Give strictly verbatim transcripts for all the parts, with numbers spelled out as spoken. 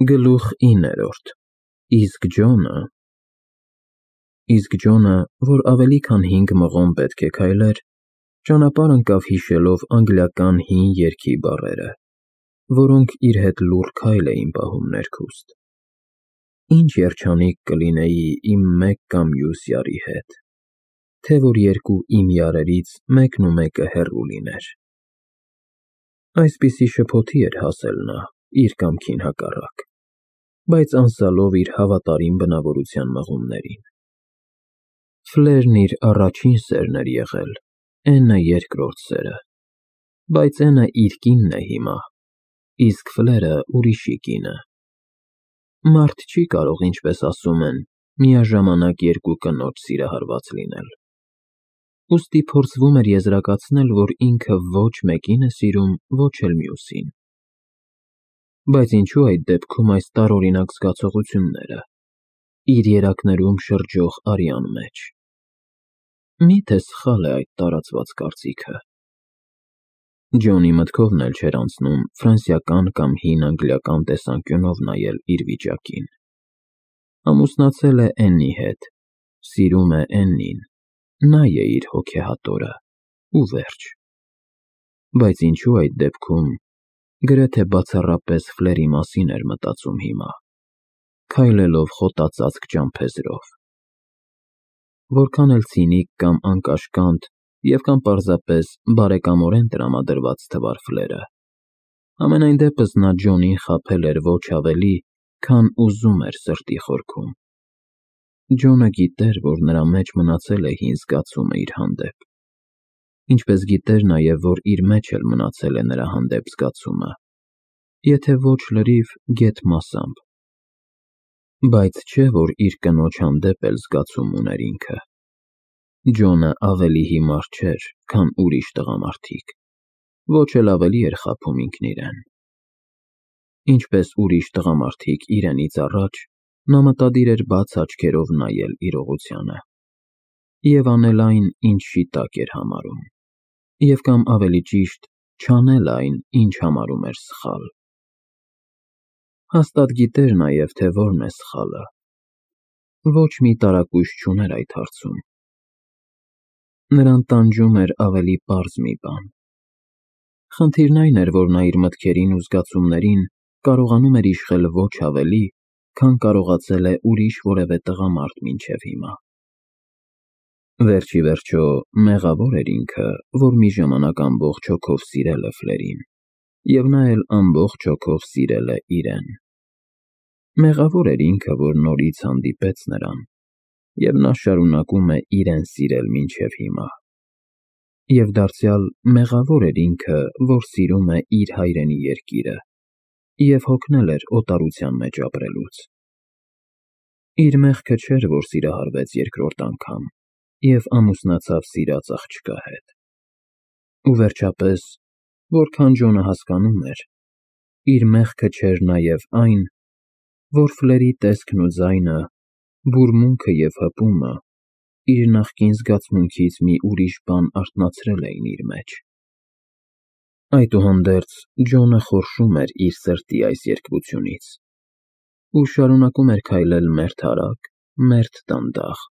Գլուխ իններորդ Իսկ Ջոնը Իսկ Ջոնը, որ ավելի քան հինգ մղոն պետք է քայլեր, ճանապարհ ընկավ հիշելով անգլիական հին երգի բառերը, որոնք իր հետ լուռ քայլ էին պահում ներքուստ. Ինչ երջանիկ կլինեի իմ մեկ կամ մյուս յարի հետ, թե որ երկու իմ յարերից մեկն ու մեկը հեռու լիներ։ Այսպիսի շփոթի էր հասել նա, իր կամքին հակառակ, բայց անսալով իր հավատարիմ բնավորության մղումներին։ Ֆլերն իր առաջին սերն էր եղել, Էնը երկրորդ սերը, բայց Էնը իր կինն է հիմա, իսկ Ֆլերը ուրիշի կինը։ Մարդ չի կարող, ինչպես ասում են, միաժամանակ երկու կնոջ սիրահարված լինել։ Ուստի փորձվում էր եզրակացնել, որ ինքը ոչ մեկին է սիրում, ոչ էլ մյուսին։ Բայց ինչու այդ դեպքում այս տարօրինակ զգացողությունները, իր երակներում շրջող արյան մեջ։ Մի՞թե սխալ է այդ տարածված կարծիքը։ Ջոնի մտքովն էլ չէր անցնում ֆրանսիական կամ հին անգլիական տեսանկյունով նայել իր վիճակին։ Ամուսնացել է Էննի հետ, սիրում է Էննին, նա է իր հոգեհատորը, ու վերջ։ Բայց ինչու այդ դեպքում գրեթե բացառապես Ֆլերի մասին էր մտածում հիմա, քայլելով խոտածածկ ճամփեզրով։ Որքան էլ ցինիկ կամ անկաշկանդ և կամ պարզապես բարեկամորեն տրամադրված թվար Ֆլերը, համենայն դեպս նա Ջոնին խաբել էր ոչ ավելի, քան ուզում էր սրտի խորքում։ Ջոնը գիտեր, որ նրա մեջ մնացել է հին զգացումը իր հանդեպ, ինչպես գիտեր նաև, որ իր մեջ էլ մնացել է նրա հանդեպ զգացումը, եթե ոչ լրիվ, գեթ մասամբ։ Բայց չէ, որ իր կնոջ հանդեպ էլ զգացում ուներ ինքը։ Ջոնը ավելի հիմար չէր, քան ուրիշ տղամարդիկ, ոչ էլ ավելի էր խաբում ինքն իրեն։ Ինչպես ուրիշ տղամարդիկ իրենից առաջ, նա մտադիր էր բաց աչքերով նայել իրողությանը և անել այն, ինչ շիտակ էր համարում, և կամ ավելի ճիշտ, չանել այն, ինչ համարում էր սխալ։ Հաստատ գիտեր նաև, թե որն է սխալը։ Ոչ մի տարակույս չուներ այդ հարցում։ Նրան տանջում էր ավելի պարզ մի բան։ Խնդիրն այն էր, որ նա իր մտքերին ու զգացումներին կարողանում էր իշխել ոչ ավելի, քան կարողացել է ուրիշ որևէ տղամարդ մինչև հիմա։ Վերջ ի վերջո, մեղավոր էր ինքը, որ մի ժամանակ ամբողջ հոգով սիրել է Ֆլերին, և նա էլ ամբողջ հոգով սիրել է իրեն։ Մեղավոր էր ինքը, որ նորից հանդիպեց նրան, և նա շարունակում է իրեն սիրել մինչև հիմա։ Եվ դարձյալ մեղավոր էր ինքը, որ սիրում է իր հայրենի երկիրը և հոգնել էր օտարության մեջ ապրելուց։ Իր մեղքը չէր, որ սիրահարվեց երկրորդ անգամ և ամուսնացավ սիրած աղջկա հետ։ Ու վերջապես, որքան Ջոնը հասկանում էր, իր մեղքը չէր նաև այն, որ Ֆլերի տեսքն ու ձայնը, բուրմունքը և հպումը իր նախկին զգացմունքից մի ուրիշ բան արթնացրել էին իր մեջ։ Այդուհանդերձ, Ջոնը խորշում էր իր սրտի այս երկվությունից ու շարունակում էր քայլել մերթ արագ, մերթ դանդաղ,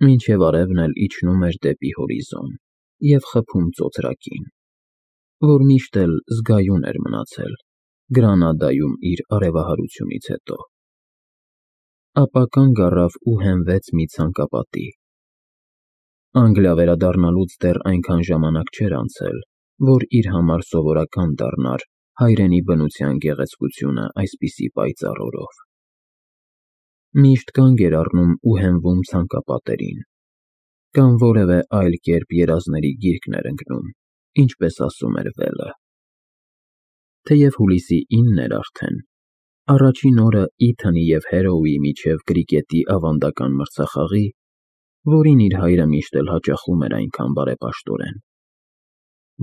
մինչև արևն էլ իջնում էր դեպի հորիզոն և խփում ծոծրակին, որ միշտ էլ զգայուն էր մնացել Գրանադայում իր արևահարությունից հետո։ Ապա կանգ առավ ու հենվեց մի ցանկապատի։ Անգլիա վերադառնալուց դեռ այնքան ժամանակ չէր անցել, որ իր համար սովորական դառնար հայրենի բնության գեղեցկությունը այսպիսի պայծառ օրով։ Միշտ կանգ էր առնում ու հենվում ցանկապատերին, կամ որևէ այլ կերպ երազների գիրկն էր ընկնում, ինչպես ասում էր Վելը։ Թեև հուլիսի ինն էր արդեն, առաջին օրը Իթանի և Հերոուի միջև կրիկետի ավանդական մրցախաղի, որին իր հայրը միշտ էլ հաճախում էր այնքան բարեպաշտորեն,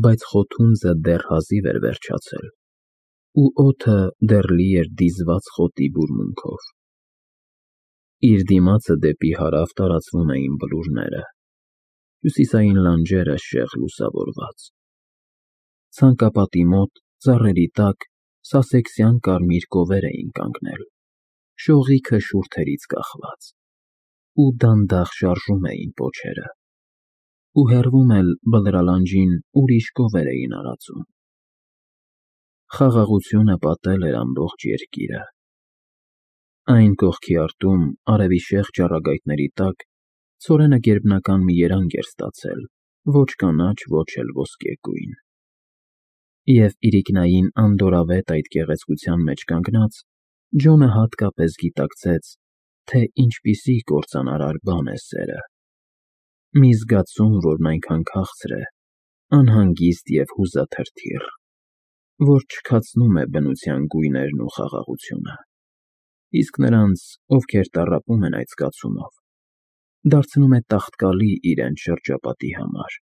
բայց խոթունձը դեռ հազիվ էր վերջացել, ու օդը դեռ լի էր դիզված խոտի բուրմունքով։ Իր դիմացը դեպի հարավ տարածվում էին բլուրները, հյուսիսային լանջերը շեղ լուսավորված։ Ցանկապատի մոտ, ծառերի տակ, սասեքսյան կարմիր կովեր էին կանգնել, շողիքը շուրթերից կախված, ու դանդաղ շարժում էին պոչերը, ու հեռվում էլ բլրալանջին ուրիշ կովեր էին արածում։ Խաղաղությունը պատել էր ամբողջ երկիրը։ Այն կողքի արտում, արևի շեղ ճառագայթների տակ, ցորենը գերբնական մի երանգ էր ստացել, ոչ կանաչ, ոչ էլ ոսկեգույն։ Եվ իրիկնային անդորավետ այդ գեղեցկության մեջ կանգնած, Ջոնը հատկապես գիտակցեց, թե ինչպիսի կործանարար բան է սերը։ Մի զգացում, որն այնքան քաղցր է, անհանգիստ և հուզաթրթիռ, որ չքացնում է բնության գույներն ու խաղաղությունը, իսկ նրանց, ովքեր տառապում են այդ զգացումով, դարձնում է տաղտկալի իրենց շրջապատի համար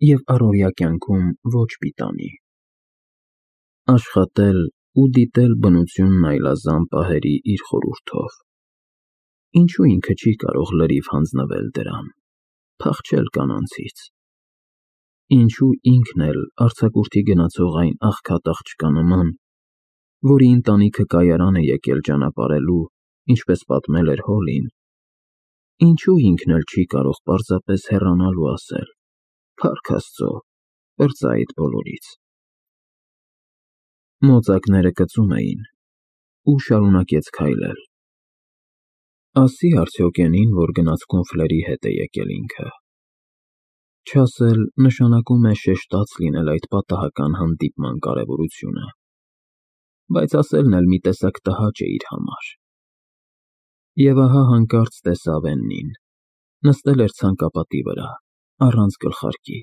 և առօրյա կյանքում ոչ պիտանի։ Աշխատել ու դիտել բնությունն այլազան պահերի իր խորհուրդով։ Ինչու ինքը չի կարող լրիվ հանձնվել դրան, փախչել կանանցից։ Ինչու ինքն էլ արձակուրդի գնացող այն աղքատ աղջկա նման, որի ընտանիքը կայարան է եկել ճանապարհելու, ինչպես պատմել էր Հոլին, ինչու ինքն էլ չի կարող պարզապես հեռանալ ու ասել. «Փառք Աստծո, պրծա այդ բոլորից»։ Մոծակները կծում էին, ու շարունակեց քայլել։ Ասի արդյոք էնին, որ գնացքում Ֆլերի հետ է եկել ինքը։ Չասել նշանակում է շեշտած լինել այդ պատահական հանդիպման կարևորությունը, բայց ասելն էլ մի տեսակ տհաճ է իր համար։ Եվ ահա հանկարծ տեսավ Էննին, նստել էր ցանկապատի վրա, առանց գլխարկի,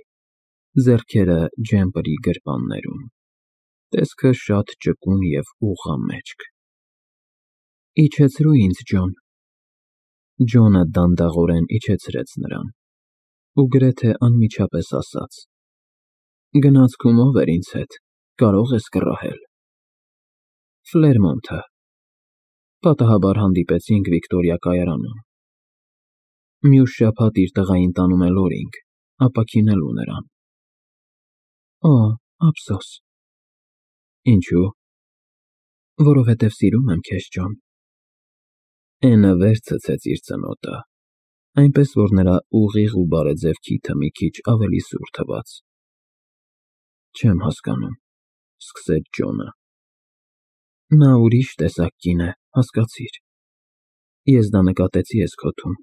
ձեռքերը ջեմպրի գրպաններում, տեսքը շատ ճկուն և ուղղամեջք։ Իջեցրու ինձ, Ջոն։ Ջոնը դանդաղորեն իջեցրեց նրան, ու գրեթե անմիջապես ասաց. Գնացքում ով էր ինձ հետ, կարող ես կռահել։ Ֆլերմոնթը։ Պատահաբար հանդիպեցինք Վիկտորիա կայարանում։ Մյուս շաբաթ իր տղային տանում է Լորինգ, ապաքինելու նրան։ Օ, ափսոս։ Ինչու՞։ Որովհետև սիրում եմ քեզ, Ջոն։ Էնը վեր ցցեց իր ծնոտը, այնպես որ նրա ուղիղ ու բարեձև քիթը մի քիչ ավելի սուր թվաց։ Չեմ հասկանում, սկսեց Ջոնը։ Նա ուրիշ տեսակ կին է, հասկացիր։ Ես դա նկատեցի էս քոթում։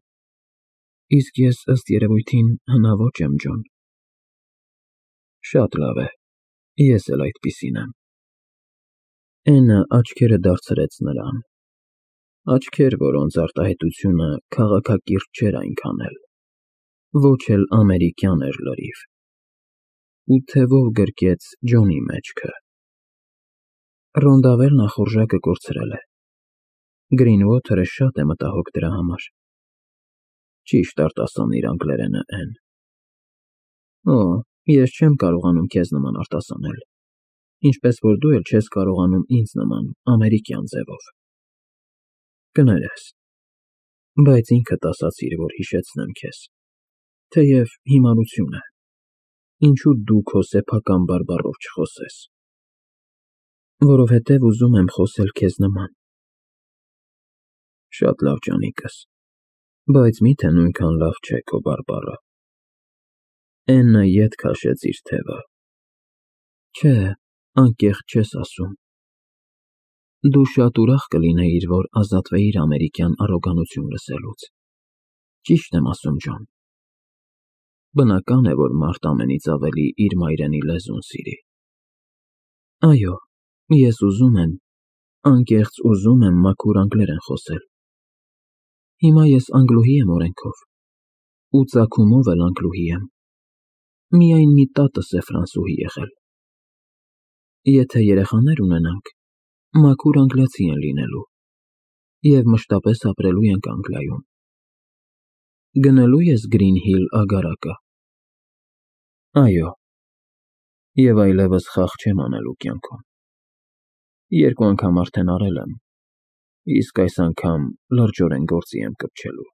Իսկ ես, ըստ երևույթին, հնաոճ եմ, Ջոն։ Շատ լավ է, ես էլ այդպիսին եմ։ Էնը աչքերը դարձրեց նրան, աչքեր, որոնց արտահայտությունը քաղաքակիրթ չէր այնքան էլ, ոչ էլ ամերիկյան էր լրիվ, ու թևով գրկեց Ջոնի մեջքը։ Ռոնդավեր նախորժակը կորցրել է։ Գրինուոթերը շատ է մտահոգ դրա համար։ Ճիշտ արտասանիր անգլերենը, Էն։ Օ, ես չեմ կարողանում քեզ նման արտասանել, ինչպես որ դու էլ չես կարողանում ինձ նման ամերիկյան ձևով։ Կներես, բայց ինքդ ասացիր, որ հիշեցնեմ քեզ, թեև հիմարություն է, ինչու դու քո սեփական բարբառով չխոսես։ Որովհետև ուզում եմ խոսել քեզ նման։ Շատ լավ, ջանիկս, բայց մի՞թե նույնքան լավ չէ քո բարբառը։ Էննը ետ քաշեց իր թևը։ Չէ, անկեղծ չես ասում։ Դու շատ ուրախ կլինեիր, որ ազատվեիր ամերիկյան առոգանություն լսելուց։ Ճիշտ եմ ասում, Ջոն։ Բնական է, որ մարդ ամենից ավելի իր մայրենի լեզուն սիրի։ Այո, ես ուզում եմ, անկեղծ ուզում եմ մաքուր անգլերեն խոսել։ Հիմա ես անգլուհի եմ օրենքով, ու ծագումով էլ անգլուհի եմ։ Միայն մի տատս է ֆրանսուհի եղել։ Եթե երեխաներ ունենանք, մաքուր անգլիացի են լինելու, և մշտապես ապրելու ենք Անգլիայում։ Գնելու ես Գրին Հիլ ագարակը։ Այո, և այլևս խաղ չեմ անելու կյանքում։ Երկու անգամ արդեն արել եմ, իսկ այս անգամ լրջորեն գործի եմ կպչելու։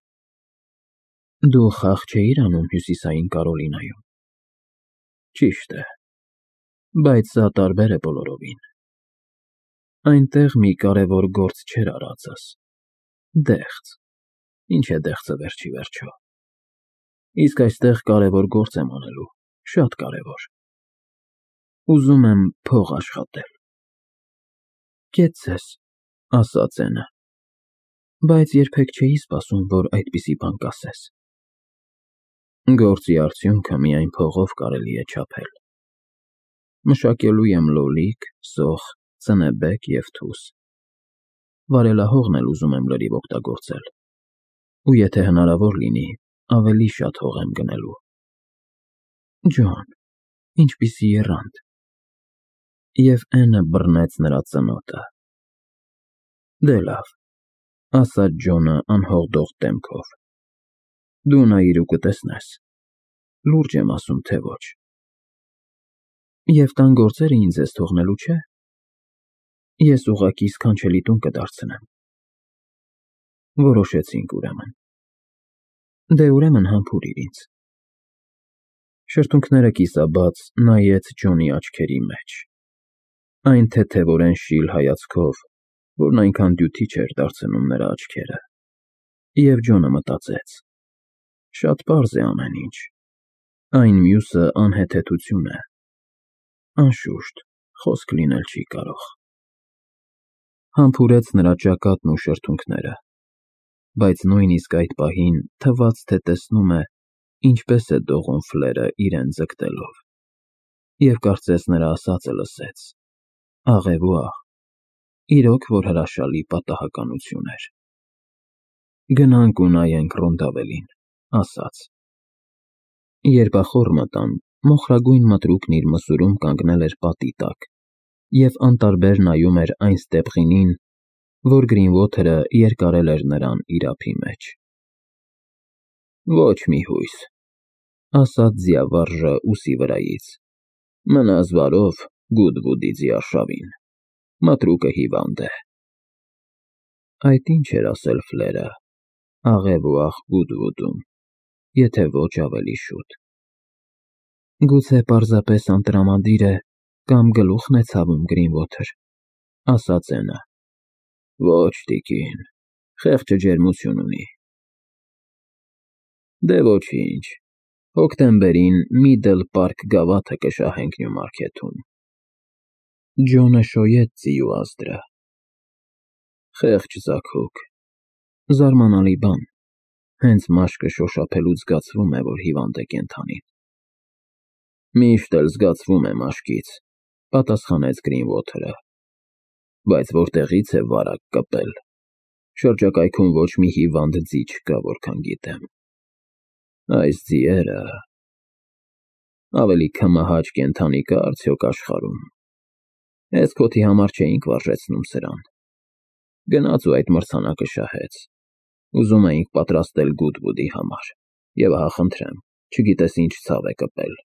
Դու խաղ չէիր անում Հյուսիսային Կարոլինայում։ Ճիշտ է, բայց սա տարբեր է բոլորովին։ Այնտեղ մի կարևոր գործ չէր արածս։ Դեղց։ Ինչ է դեղցը վերջի վերջո։ Իսկ այստեղ կարևոր գործ եմ անելու, շատ կարևոր։ Ուզում եմ փող աշխատել։ Կետ ձեզ, ասաց Էնը, բայց երբեք չէի սպասում, որ այդպիսի բան կասես։ Գործի արդյունքը միայն փողով կարելի է չափել։ Մշակելու եմ լոլիկ, սոխ, ծնեբեկ և թուս։ Վարելահողն էլ ուզում եմ լրիվ օգտագործել։ Ու եթե հնարավոր լինի, ավելի շատ հող եմ գնելու։ Ջոն, ինչպիսի եռանդ։ Եվ Էնը բռնեց նրա ծնոտը։ Դե լավ, ասաց Ջոնը անհողդող դեմքով։ Դու նայիր ու կտեսնես։ Լուրջ եմ ասում, թե ոչ։ Եվ տան գործերը ինձ ես թողնելու, չէ՞։ Ես ուղղակի սքանչելի տուն կդարձնեմ։ Որոշեցինք ուրեմն։ Դե ուրեմն համբուրիր ինձ։ Շրթունքները կիսաբաց նայեց Ջոնի աչքերի մեջ։ Այն թեթևորեն շիլ հայացքով, որն այնքան դյութի չէր դարձնում նրա աչքերը։ Եվ Ջոնը մտածեց. շատ պարզ է ամեն ինչ։ Այն մյուսը անհեթեթություն է։ Անշուշտ, խոսք լինել չի կարող։ Համբուրեց նրա ճակատն ու շրթունքները, բայց նույնիսկ այդ պահին թվաց, թե տեսնում է, ինչպես է դողում ֆլերը իրեն ձգտելով, և կարծես նրա ասածը լսեց։ Աղև ու աղ, իրոք որ հրաշալի պատահականություն էր։ Գնանք ու նայենք Ռոնդավելին, ասաց։ Երբ ախոռ մտան, մոխրագույն մտրուկն իր մսուրում կանգնել էր պատի տակ և անտարբեր նայում էր այն ստեպղինին, որ Գրինվոթերը երկարել էր նրան իր ափի մեջ։ Ոչ մի հույս, ասաց ձիավարժը ուսի վրայից, մնաս բարով Գուդվուդի ձիարշավին, մտրուկը հիվանդ է։ Այդ ինչ էր ասել ֆլերը, աղև ու աղ Գուդվուդում, եթե ոչ ավելի շուտ։ Գուցե պարզապես անտրամադիր է, կամ գլուխն է ցավում Գրինվոթեր, ասաց Էնը։ Ոչ, տիկին, խեղճը ջերմություն ունի։ Դե ոչինչ, հոկտեմբերին Միդլ Պարք գավաթը կշահենք Նյումարքեթում։ Ջոնը շոյեց ձիու ազդրը։ Խեղճ ձագուկ, զարմանալի բան, հենց մաշկը շոշափելուց զգացվում է, որ հիվանդ է կենդանին։ Միշտ էլ զգացվում է մաշկից, պատասխանեց Գրինվոթերը, բայց որտեղից է վարակ կպել։ Շրջակայքում ոչ մի հիվանդ ձի չկա, որքան գիտեմ։ Այս ձիերը… Ավելի քմահաճ կենդանի կա արդյոք աշխարհում։ Էսքոթի համար չէինք վարժեցնում սրան։ Գնաց ու այդ մրցանակը շահեց։ Ուզում էինք պատրաստել Գուդվուդի համար, և ահա խնդրեմ, չգիտես ինչ ցավ է կպել։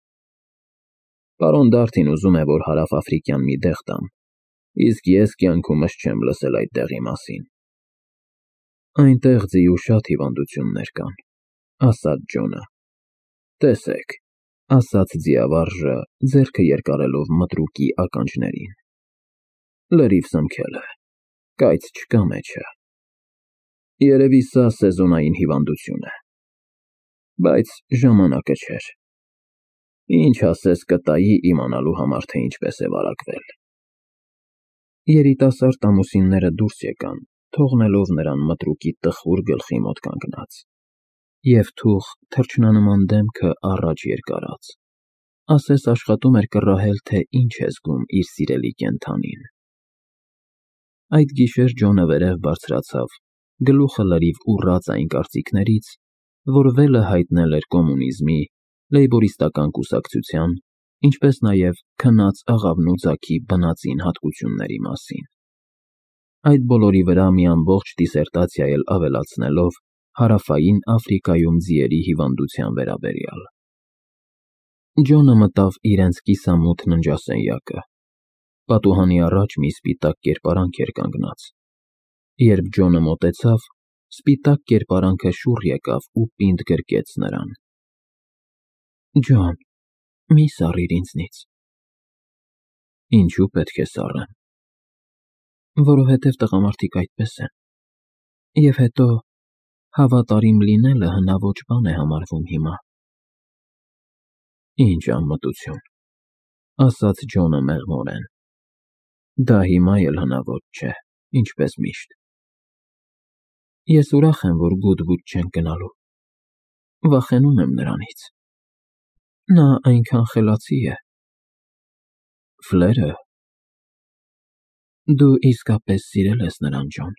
Պարոն Դարթին ուզում է, որ հարավաֆրիկյան մի դեղ տամ, իսկ ես կյանքումս չեմ լսել այդ տեղի մասին։ Այնտեղ ձիու շատ հիվանդություններ կան, ասաց Ջոնը։ Տեսեք, ասաց ձիավարժը, ձեռքը երկարելով մտրուկի ականջներին։ Լրիվ սնքել է, կայծ չկա մեջը։ Երևի սա սեզոնային հիվանդություն է։ Բայց ժամանակը չէր։ Ինչ ասես կտայի իմանալու համար, թե ինչպես է վարակվել։ Երիտասարդ ամուսինները դուրս եկան, թողնելով նրան մտրուկի տխուր գլխի մոտ կանգնած, և թուղ թռչնանման դեմքը առաջ երկարած, ասես աշխատում էր կռահել, թե ինչ է զգում իր սիրելի կենդանին։ Այդ գիշեր Ջոնը վերև բարձրացավ, գլուխը լրիվ ուռած այն կարծիքներից, որ վելը հայտնել էր կոմունիզմի, լեյբորիստական կուսակցության, ինչպես նաև քնած աղավնու ձագի բնածին հատկությունների մասին։ Այդ բոլորի վրա մի ամբողջ դիսերտացիա էլ ավելացնելով Հարավային Աֆրիկայում ձիերի հիվանդության վերաբերյալ։ Ջոնը մտավ իրենց կիսամութ ննջասենյակը։ Պատուհանի առաջ մի սպիտակ կերպարանք էր կանգնած։ Երբ Ջոնը մոտեցավ, սպիտակ կերպարանքը շուռ եկավ ու պինդ գրկեց նրան։ Ջոն, մի սառիր ինձնից։ Ինչու պետք է սառեմ։ Որովհետև տղամարդիկ այդպես են։ Եվ հետո հավատարիմ լինելը հնաոճ բան է համարվում հիմա։ Ինչ անմտություն, ասաց Ջոնը մեղմորեն։ Դա հիմա էլ հնաոճ չէ, ինչպես միշտ։ Ես ուրախ եմ, որ Գուդվուդ չենք գնալու։ Վախենում եմ նրանից։ Նա այնքան խելացի է։ Ֆլերը։ Դու իսկապես սիրել ես նրան, Ջոն։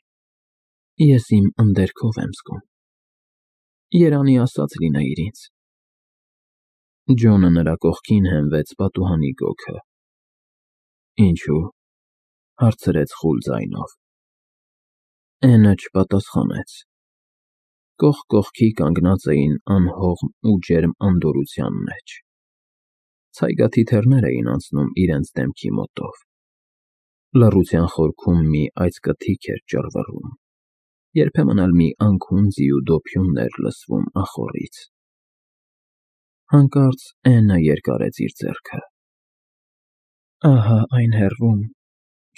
Ես իմ ընդերքով եմ զգում։ Երանի ասած լինեիր ինձ։ Ջոնը նրա կողքին հենվեց պատուհանի գոգը։ Ինչու՞, հարցրեց խուլ ձայնով։ Էնը չպատասխանեց։ Կողք կողքի կանգնած էին անհողմ ու ջերմ անդորրության մեջ։ Ցայգաթիթեռներ էին անցնում իրենց դեմքի մոտով։ Լռության խորքում մի այծկթիք էր ճռվռում, երբեմն էլ մի անքուն ձիու դոփյուն էր լսվում ախոռից։ Հանկարծ Էնը երկարեց իր ձեռքը։ Ահա այն հեռվում,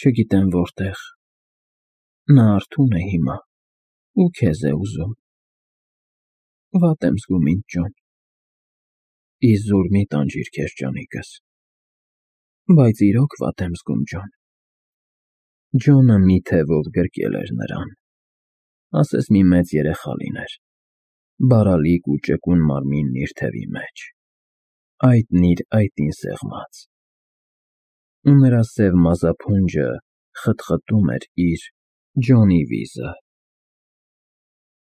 չգիտեմ որտեղ։ Նա արթուն է հիմա ու քեզ է ուզում։ Վատ եմ զգում ինձ, Ջոն։ Իզուր մի տանջիր քեզ, ջանիկս։ Բայց իրոք վատ եմ զգում, Ջոն։ Ջոնը մի թևով գրկել էր նրան։ Ասես մի մեծ երեխա լիներ։ Բարալիկ ու ճկուն մարմինն իր թևի մեջ։ Այդն իր այտին սեղմած։ Ու նրա սև մազափունջը խտխտում էր իր Ջոնի վիզը։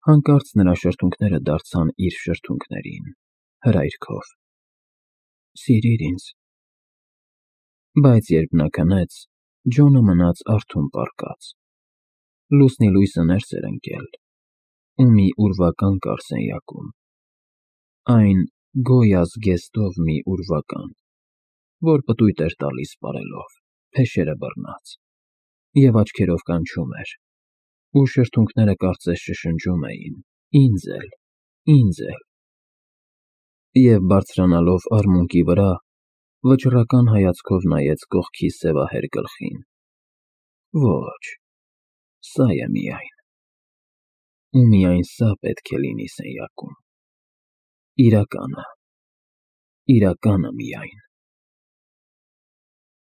Հանկարծ նրա շրթունքները դարձան իր շրթունքներին, հրայրքով։ Սիրիր ինձ։ Բայց երբ նա քնեց, Ջոնը մնաց արթուն պառկած։ Լուսնի լույսը ներս էր ընկել ու մի ուրվական կար սենյակում։ Այն գոյազ զգեստով մի ուրվական, որ պտույտ էր տալիս պարելով, փեշերը բռնած, և աչքերով կանչում էր, ու շրթունքները կարծես շշնջում էին. ինձ էլ, ինձ էլ։ Եվ բարձրանալով արմունկի վրա, վճռական հայացքով նայեց կողքի սևահեր գլխին։ Ոչ, սա է միայն։ Ու միայն սա պետք է լինի սենյակում։ Իրականը, իրականը միայն։